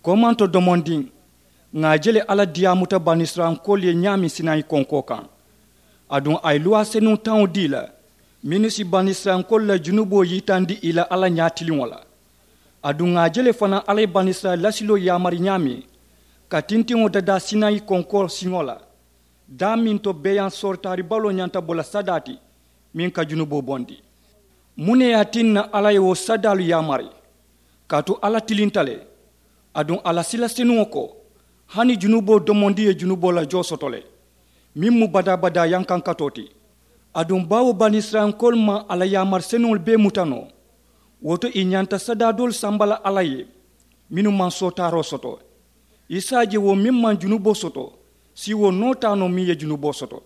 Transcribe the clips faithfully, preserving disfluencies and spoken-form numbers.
Komanto domondiŋ, ŋà a je le alla diyaamuta banisirayilankoolu ye ñaameŋ sinayi konkoo kaŋ. Aduŋ a ye luwaa senuŋ taŋo dii la mennu si banisirayilankoolu la junuboo yitandi ì la alla ñaatiliŋo la. Aduŋ ŋà a je le fanaa alla ye banisirayila lasiloo yaamari ñaameŋ ka tintiŋo dadaa sinayi konkoo siŋo la, daameŋ to beeyaŋ soritaari baloo ñanta bo la sadaa ti meŋ ka junuboo bondi. Muŋ ne ye a tinna alla ye wo sadaalu yaamari? Kaatu alla tilinta le. Aduŋ a la sila senuŋo ko, hani junuboo domondi ye junuboo la joo soto le, meŋ mu badaa-badaa yankankatoo ti. Aduŋ baawo banisirayilankoolu maŋ a la yaamari senuŋolu bee muta noo, wo to ì ñanta sadaa doolu samba la alla ye mennu maŋ sootaaroo soto. I si a je wo meŋ maŋ junuboo soto si wo noo taa noo meŋ ye junuboo soto.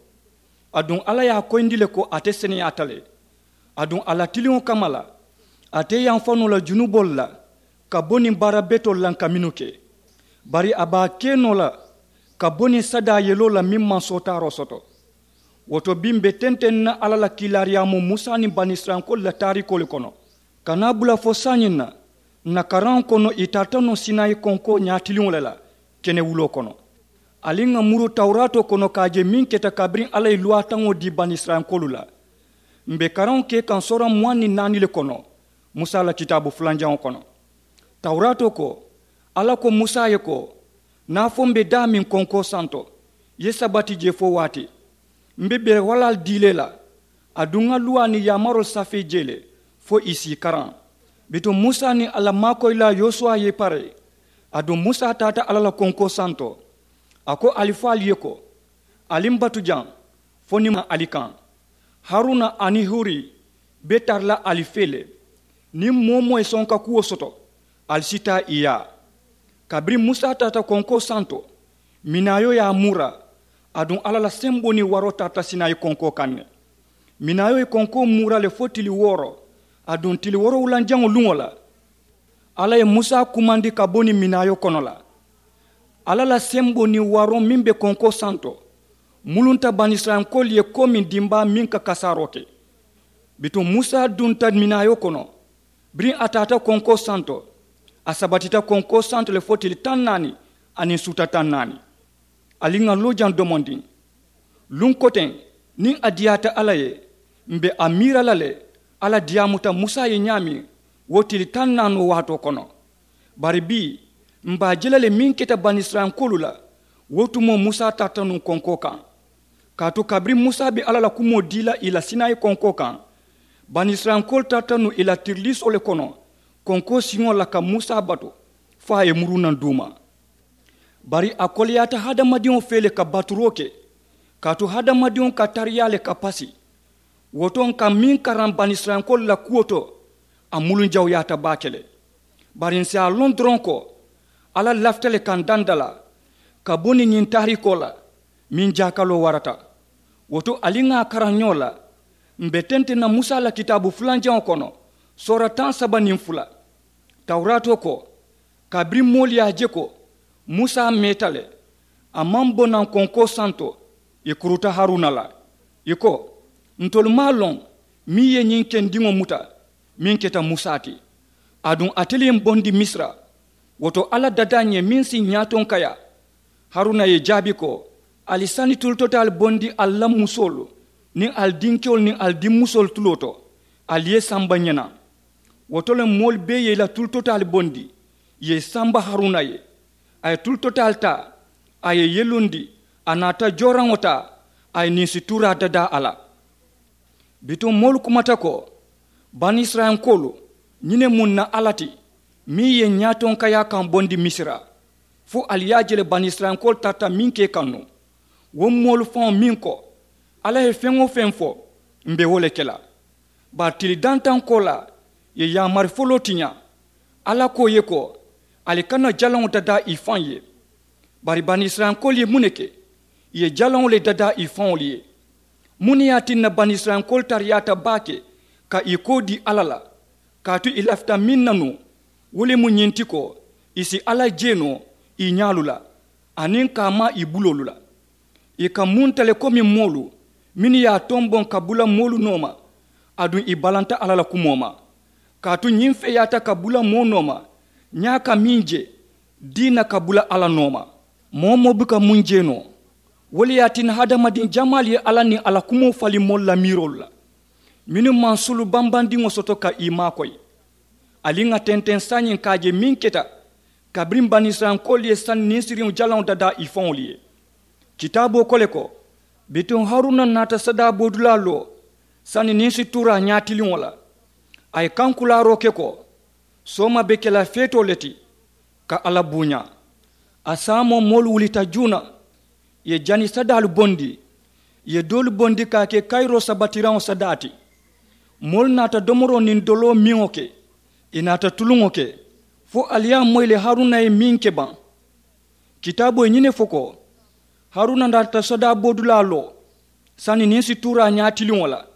Aduŋ alla ye a koyindi le ko ate seneyaata le. Aduŋ a la tiliŋo kamma la, ate yamfa noo la junuboolu la ka bo niŋ baara betoolu la ka mennu ke. Bari a be a ke noo la ka bo niŋ sadaa yeloo la meŋ maŋ sootaaroo soto. Wo to bii m̀ be tenteŋ na alla la kiilaariyaamoo musa niŋ banisirayilankoolu la taarikoo le kono. Ka naa bula fo saayiŋ na ǹ na karaŋo kono ì tarata noo sinayi konkoo ñaatiliŋo le la kenewuloo kono. Ali ŋà muru tawuraatoo kono ka a je meŋ keta kabiriŋ alla ye luwaataŋo dii banisirayilankoolu la. M̀ be karaŋo ke kaŋ soora muwaŋ niŋ naani le kono musa la kitaabu fulanjaŋo kono. Tawuraatoo ko, alla ko musa ye ko, niŋ a fo m̀ be daameŋ konkoo santo, i ye sabati jee fo waati m̀ be bere walaalu dii le la. Aduŋ ŋà luwaa niŋ yaamaroolu safee jee le fo ì si ì karaŋ. Bituŋ musa niŋ a la maakoyilaa yosuwa ye i pare. Aduŋ musa taata alla la konkoo santo. A ko ali fo ali ye ko, ali m̀ batu jaŋ fo niŋ m̀ maŋ ali kaŋ. Haruna aniŋ huri be tara la ali fee le. Niŋ moo-wo-moo ye sonka kuwo soto, ali si taa ì yaa. Kabiriŋ musa taata konkoo santo, minaayoo ye a muura. Aduŋ alla la semboo niŋ waroo tarata sinayi konkoo kaŋ ne. Minaayoo ye konkoo muura le fo tili wooro. Aduŋ tili woorowulanjaŋo luŋo la, alla ye musa kumandi ka bo niŋ minaayoo kono la. Alla la semboo niŋ waroo meŋ be konkoo santo mulunta banisirayilankoolu ye komiŋ dimbaa meŋ ka kasaaroo ke. Bituŋ musa dunta minaayoo kono. Biriŋ a taata konkoo santo, a sabatita konkoo santo le fo tili taŋ naani aniŋ suuta taŋ naani. Ali ŋà loo jaŋ domondiŋ. Luŋ koteŋ, niŋ a diyaata alla ye, m̀ be a miira la le alla diyaamuta musa ye ñaameŋ wo tili taŋ naanoo waatoo kono. Bari bii, m̀ be a je la le meŋ keta banisirayilankoolu la. Wo tumoo musa tarata nuŋ konkoo kaŋ. Kaatu kabiriŋ musa be alla la kumoo dii la ì la sinayi konkoo kaŋ, banisirayilankoolu tarata nuŋ ì la tiriliisoo le kono konkoo siŋo la ka musa batu fo a ye muruu naŋ duuma. Bari a koleyaata hadamadiŋo fee le ka baturoo ke. Kaatu hadamadiŋo ka tariyaa le ka pasi. Wo to ǹ ka meŋ karaŋ banisirayilankoolu la kuwo to, a muluŋ jawuyaata baake le. Bari ǹ si a loŋ doroŋ ko alla lafita le ka ǹ dandalaa ka bo niŋ ñiŋ taariikoo la meŋ jaakaloo warata. Wo to ali ŋà a karaŋ ñoo la. M̀ be tenteŋ na musa la kitaabu fulanjaŋo kono, soora taŋ saba niŋ fula. Tawuraatoo ko, kabiriŋ moolu ye a je ko musa meeta le, a maŋ bo naŋ konkoo santo, ì kuruta haruna la. Ì ko, ntolu maŋ a loŋ meŋ ye ñiŋ kendiŋo muta meŋ keta musa ti. Aduŋ ate le ye m bondi misira. Wo to alla dadaa ǹ ye meŋ si ǹ ñaatonkayaa. Haruna ye ì jaabi ko, ali sani tulutotaalu bondi ali la musoolu niŋ ali dinkewolu niŋ ali dimmusoolu tuloo to, ali ye i samba ǹ ye naŋ. Wo to le moolu bee ye i la tulutotaalu bondi, ì ye i samba haruna ye. A ye tulutotaalu taa, a ye i yelundi, a naata jooraŋo taa, a ye ninsi tuuraa dadaa a la. Bituŋ moolu kumata ko, banisirayilankoolu, ñiŋ ne mu ǹ na alla ti meŋ ye ǹ ñaatonkayaa kaŋ bondi misira? Fo ali ye a je le banisirayilankoolu tarata meŋ ke kaŋ nuŋ. Wo moolu faŋo meŋ ko, alla ye feŋ-wo-feŋ fo, m̀ be wo le ke la. Bari tili dantaŋ koolaa, ì ye yaamari foloo tiñaa. Alla ko ì ye ko, ali kana jalaŋo dadaa ì faŋ ye. Bari banisirayilankoolu ye muŋ ne ke? Ì ye jalaŋo le dadaa ì faŋolu ye. Muŋ ne ye a tinna banisirayilankoolu tariyaata baake ka ì koo dii alla la? Kaatu ì lafita meŋ na nuŋ, wo le mu ñiŋ ti ko, ì si alla jee noo ì ñaalu la, aniŋ ka a maa ì buloolu la. Ì ka munta le komi moolu mennu ye a tomboŋ ka bula moolu nooma. Aduŋ ì balanta alla la kumoo ma. Kaatu ñiŋ feeyaata ka bula moo nooma, ñaa ka meŋ je, Diina ka bula alla nooma. Moo-wo-moo buka muŋ jee noo. Wo le ye a tinna hadamadiŋ jamaalu ye alla niŋ a la kumoo faliŋ moolu la miiroolu la, mennu maŋ sulu bambandiŋo soto ka ì maakoyi. Ali ŋà tenteŋ saayiŋ ka a je meŋ keta kabiriŋ banisirayilankoolu ye sani niŋ siriŋo jalaŋo dadaa ì faŋolu ye. Kitaaboo ko le ko, bituŋ haruna naata sadaa boodulaa loo sani niŋ situuraa ñaatiliŋo la. A ye kankulaaroo ke ko, sooma be ke la feetoo le ti ka alla buuñaa. A saamoo moolu wulita juuna, ì ye jani sadaalu bondi, ì ye doolu bondi ka a ke kayiroo sabatiraŋo sadaa ti. Moolu naata domoroo niŋ doloo miŋo ke, ì naata tuluŋo ke, fo ali ye a moyi le haruna ye meŋ ke baŋ. Kitaaboo ye ñiŋ ne fo ko, haruna naata sadaa boodulaa loo sani niŋ situuraa ñaatiliŋo la.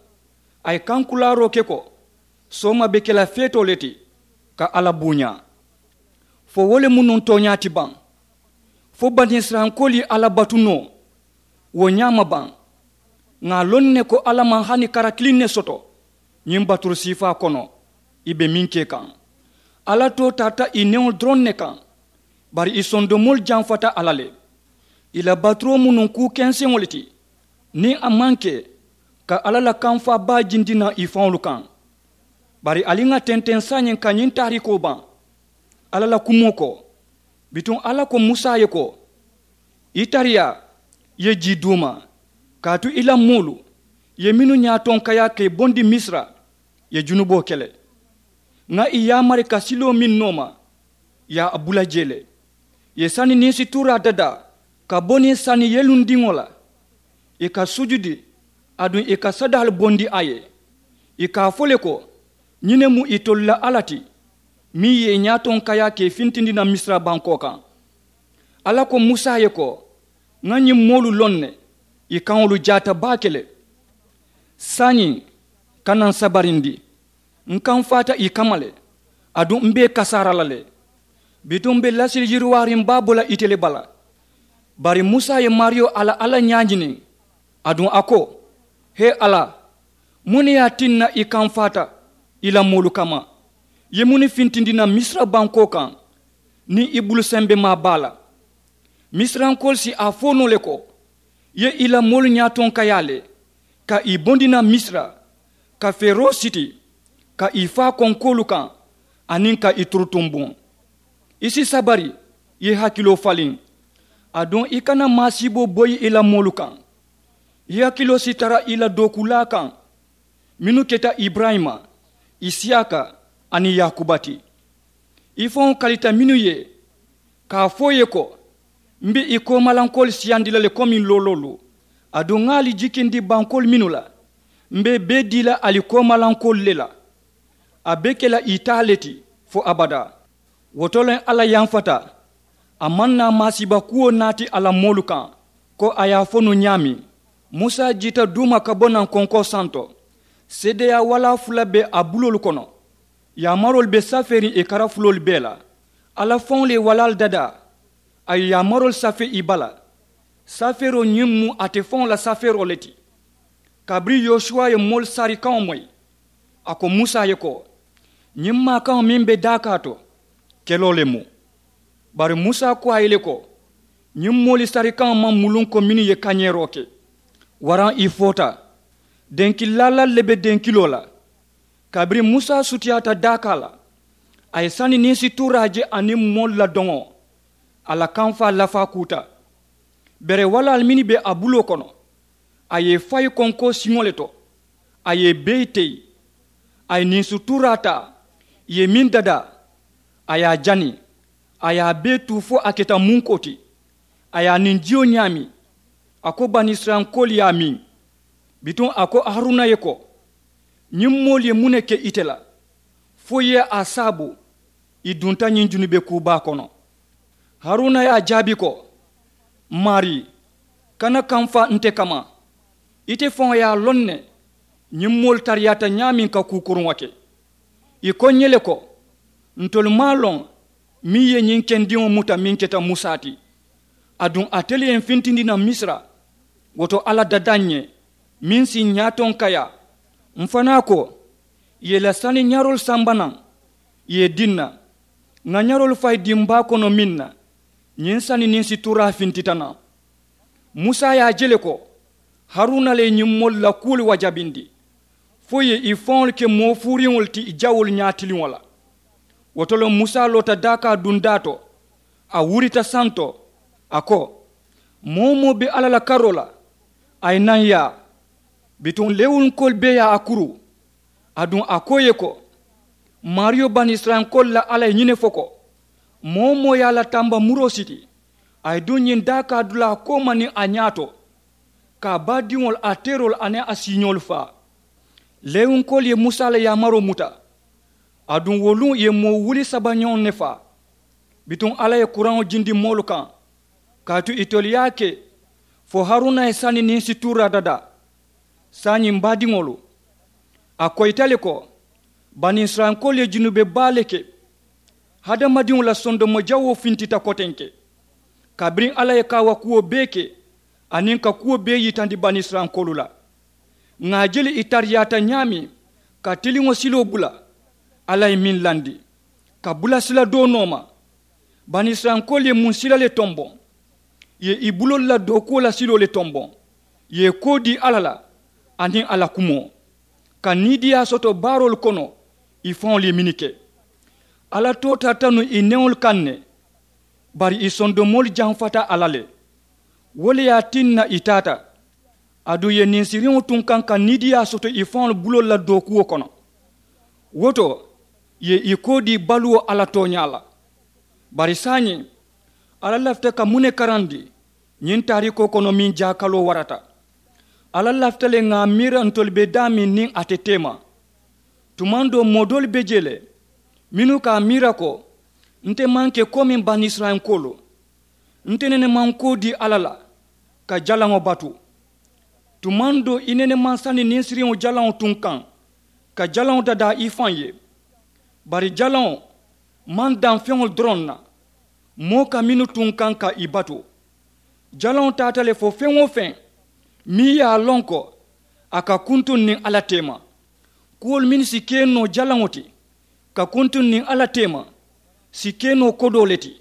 A ye kankulaaroo ke ko, sooma be ke la feetoo le ti ka alla buuñaa. Fo wo le mu nuŋ tooñaa ti baŋ? Fo banisirayilankoolu ye alla batu noo wo ñaama baŋ? Ŋà a loŋ ne ko alla maŋ hani kara kiliŋ ne soto ñiŋ baturu siifaa kono ì be meŋ ke kaŋ. Alla too tarata ì neŋolu doroŋ ne kaŋ. Bari ì sondomoolu jamfata a la le. Ì la baturoo mu nuŋ kuu kenseŋo le ti niŋ a maŋ ke ka alla la kamfaa baa jindi naŋ ì faŋolu kaŋ. Bari ali ŋà tenteŋ saayiŋ ka ñiŋ taariikoo baŋ. Alla la kumoo ko, bituŋ alla ko musa ye ko, i tariyaa ye jii duuma, kaatu i la moolu ye mennu ñaatonkayaa ka ì bondi misira, ye junuboo ke le. Ŋà ì yaamari ka siloo meŋ nooma, ì ye a bula jee le. Ì ye sani niŋ situuraa dadaa ka bo niŋ sani yelundiŋo la. Ì ka sujudi aduŋ ì ka sadaalu bondi a ye, ì ka a fo le ko, ñiŋ ne mu itolu la alla ti, meŋ ye ì ñaatonkayaa ka ì fintindi naŋ misira bankoo kaŋ. Alla ko musa ye ko, ŋà ñiŋ moolu loŋ ne, ì kaŋolu jaata baake le. Saayiŋ, kana n sabarindi. N kamfaata ì kamma le, aduŋ m be ì kasaara la le. Bituŋ m be lasili yiriwaariŋ baa bo la ite le bala. Bari musa ye maariyo a la alla ñaañiniŋ, aduŋ a ko, hee alla, muŋ ne ye a tinna i kamfaata i la moolu kamma? I ye muŋ ne fintindi naŋ misira bankoo kaŋ niŋ i bulu sembemaa baa la? Misirankoolu si a fo noo le ko, i ye i la moolu ñaatonkayaa le ka ì bondi naŋ misira, ka feroo siti, ka ì faa konkoolu kaŋ, aniŋ ka ì turutumbuŋ. I si sabari, i ye i hakiloo faliŋ, aduŋ i kana maasiiboo boyi i la moolu kaŋ. I hakiloo si tara i la dookuulaa kaŋ, mennu keta iburayima, isiyaaka, aniŋ yaakuba ti. I faŋo kalita mennu ye, ka a fo i ye ko, m be i koomalankoolu siyandi la le komiŋ looloolu, aduŋ ŋà ali jikindi bankoolu mennu la, m be i bee dii la ali koomalankoolu le la. A be ke la ì taa le ti fo abadaa. Wo to le alla yanfata, a maŋ naa maasiiba kuwo naati a la moolu kaŋ, ko a ye a fo nuŋ ñaameŋ. Musa jiita duuma ka bo naŋ konkoo santo. Seedeyaa walaa fula be a buloolu kono. Yaamaroolu be safeeriŋ ì karafuloolu bee la. Alla faŋolu ye walaalu dadaa, a ye yaamaroolu safee ì bala. Safeeroo ñiŋ mu ate faŋo la safeeroo le ti. Kabiriŋ yosuwa ye moolu sarikaŋo moyi, a ko musa ye ko, ñiŋ maakaŋo meŋ be daakaa to, keloo le mu. Bari musa ko a ye le ko, ñiŋ moolu sarikaŋo maŋ muluŋ ko mennu ye kañeeroo ke, waraŋ ì foota. Denki laalaalu le be denkiloo la. Kabiriŋ musa sutiyaata daakaa la, a ye sani niŋ situuraa je aniŋ moolu la doŋo, a la kamfaa lafaa kuuta. Bere walaalu mennu be a buloo kono, a ye i fayi konkoo siŋo le to. A ye i bee teyi. A ye niŋ situuraa taa, ì ye meŋ dadaa, a ye a jani, a ye a bee tuu fo a keta munkoo ti. A ye a niŋ jiyo ñaami. A ko banisirayilankoolu ye a miŋ. Bituŋ a ko haruna ye ko, ñiŋ moolu ye muŋ ne ke ite la, fo i ye a saabu ì dunta ñiŋ junube kuu baa kono? Haruna ye a jaabi ko, maarii, kana kamfa nte kamma. Ite faŋo ye a loŋ ne ñiŋ moolu tariyaata ñaameŋ ka kuu kuruŋo ke. Ì ko ǹ ye le ko, ntolu maŋ a loŋ meŋ ye ñiŋ kendiŋo muta meŋ keta musa ti. Aduŋ ate le ye m fintindi naŋ misira. Wo to alla dada ǹ ye meŋ si ǹ ñaatonkayaa. M fanaa ko, ì ye ì la saniyaroolu samba naŋ, ì ye ì dii ǹ na. Ŋà ñaroolu fayi dimbaa kono meŋ na, ñiŋ sani niŋ situraa fintita naŋ. Musa ye a je le ko haruna le ye ñiŋ moolu la kuwolu wajabindi fo ì ye ì faŋolu ke moo fuuriŋolu ti ì jawoolu ñaatiliŋo la. Wo to le musa loota daakaa dundaa to, a wurita santo, a ko, moo-wo-moo be alla la karoo la, a ye naŋ yaa. Bituŋ lewunkoolu bee ye a kuru. Aduŋ a ko ì ye ko, maariyo banisirayilankoolu la alla ye ñiŋ ne fo ko, moo-wo-moo ye a la tamba muroo siti, a ye duŋ ñiŋ daakaa dulaa kooma niŋ a ñaato, ka a baadiŋolu a teeroolu aniŋ a siiñoolu faa. Lewunkoolu ye musa la yaamaroo muta. Aduŋ wo luŋ ì ye moo wuli saba ñoŋ ne faa. Bituŋ alla ye kuraŋo jindi moolu kaŋ, kaatu itolu ye a ke fo haruna ye sani niŋ situraa dadaa. Saayiŋ m̀ baadiŋolu, a koyita le ko banisirayilankoolu ye junube baa le ke. Hadamadiŋo la sondomo jawoo fintita kotenke, kabiriŋ alla ye kaawakuwo bee ke aniŋ ka kuwo bee yitandi banisirayilankoolu la. Ŋà a je le ì tariyaata ñaameŋ ka tiliŋo siloo bula, alla ye meŋ landi ka bula sila doo nooma. Banisirayilankoolu ye muŋ sila le tomboŋ? Ì ye ì buloolu la dookuwo la siloo le tomboŋ, ì ye ì koo dii alla la aniŋ a la kumoo, ka niidiiyaa soto baaroolu kono ì faŋolu ye mennu ke. Alla too tarata nuŋ ì neŋolu kaŋ ne, bari ì sondomoolu jamfata a la le. Wo le ye a tinna ì taata. Aduŋ ì ye ninsiriŋo tunkaŋ ka niidiiyaa soto ì faŋolu buloolu la dookuwo kono. Wo to ì ye ì koo dii baluwo alla tooñaa la. Bari saayiŋ, alla lafita ka muŋ ne karandi? Ñiŋ taariikoo kono meŋ jaakaloo warata, alla lafita le ŋà a miira ntolu be daameŋ niŋ a te teema. Tumaŋ doo moo doolu be jee le mennu ka a miira ko, nte maŋ ke komiŋ banisirayilankoolu. Nte nene maŋ koo dii alla la ka jalaŋo batu. Tumaŋ doo i nene maŋ sani ninsiriŋo jalaŋo tunkaŋ ka jalaŋo dadaa i faŋ ye. Bari jalaŋo maŋ daŋ feŋolu doroŋ na, moo ka mennu tunkaŋ ka ì batu. Jalaŋo taata le fo feŋ-wo-feŋ meŋ ye a loŋ ko a ka kuntuŋ niŋ alla teema. Kuwolu mennu si ke noo jalaŋo ti ka kuntuŋ niŋ alla teema, si ke noo kodoo le ti,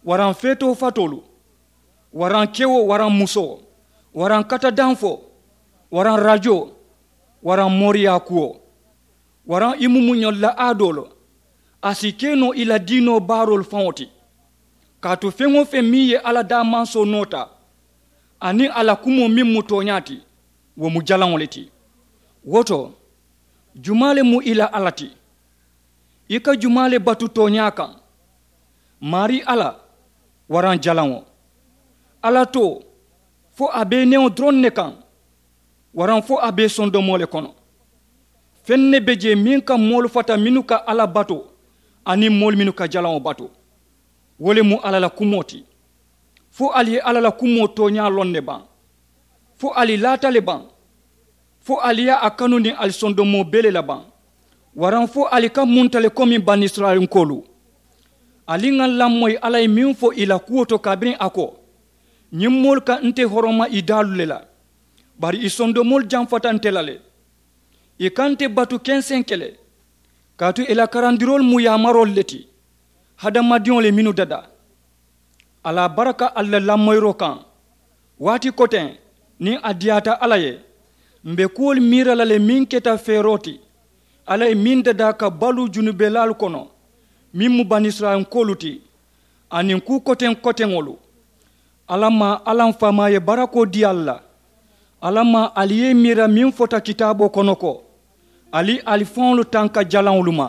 waraŋ feetoo fatoolu, waraŋ kewo waraŋ musoo, waraŋ katadanfoo, waraŋ rajoo, waraŋ mooriyaa kuwo, waraŋ i mumuñolu la aadoolu. A si ke noo i la diinoo baaroolu faŋo ti. Kaatu feŋ-wo-feŋ meŋ ye alla daamansoo noota aniŋ a la kumoo meŋ mu tooñaa ti, wo mu jalaŋo le ti. Wo to, jumaa le mu i la alla ti? I ka jumaa le batu tooñaa kaŋ? Maarii alla, waraŋ jalaŋo? Alla too, fo a be i neŋo doroŋ ne kaŋ, waraŋ fo a be i sondomoo le kono? Feŋ ne be jee meŋ ka moolu fata mennu ka alla batu aniŋ moolu mennu ka jalaŋo batu. Wo le mu alla la kumoo ti. Fo ali ye alla la kumoo tooñaa loŋ ne baŋ? Fo ali laata le baŋ? Fo ali ye a kanu niŋ ali sondomoo bee le la baŋ? Waraŋ fo ali ka munta le komi banisirayilankoolu? Ali ŋà lamoyi alla ye meŋ fo ì la kuwo to kabiriŋ a ko, ñiŋ moolu ka nte horoma ì daalu le la, bari ì sondomoolu jamfata nte la le. Ì ka nte batu kenseŋ ke le, kaatu ì la karandiroolu mu yaamaroolu le ti, hadamadiŋo le mennu dadaa. Ali a baraka ali la lamoyiroo kaŋ. Waati koteŋ, niŋ a diyaata alla ye, m̀ be kuwolu miira la le meŋ keta feeroo ti, alla ye meŋ dadaa ka baluu junubelaalu kono, meŋ mu banisirayilankoolu ti, aniŋ kuu koteŋ koteŋolu. Alla maa, alla m faamaa ye barakoo dii ali la. Alla maa, ali ye i miira meŋ fota kitaaboo kono ko, ali ali faŋolu tanka jalaŋolu ma.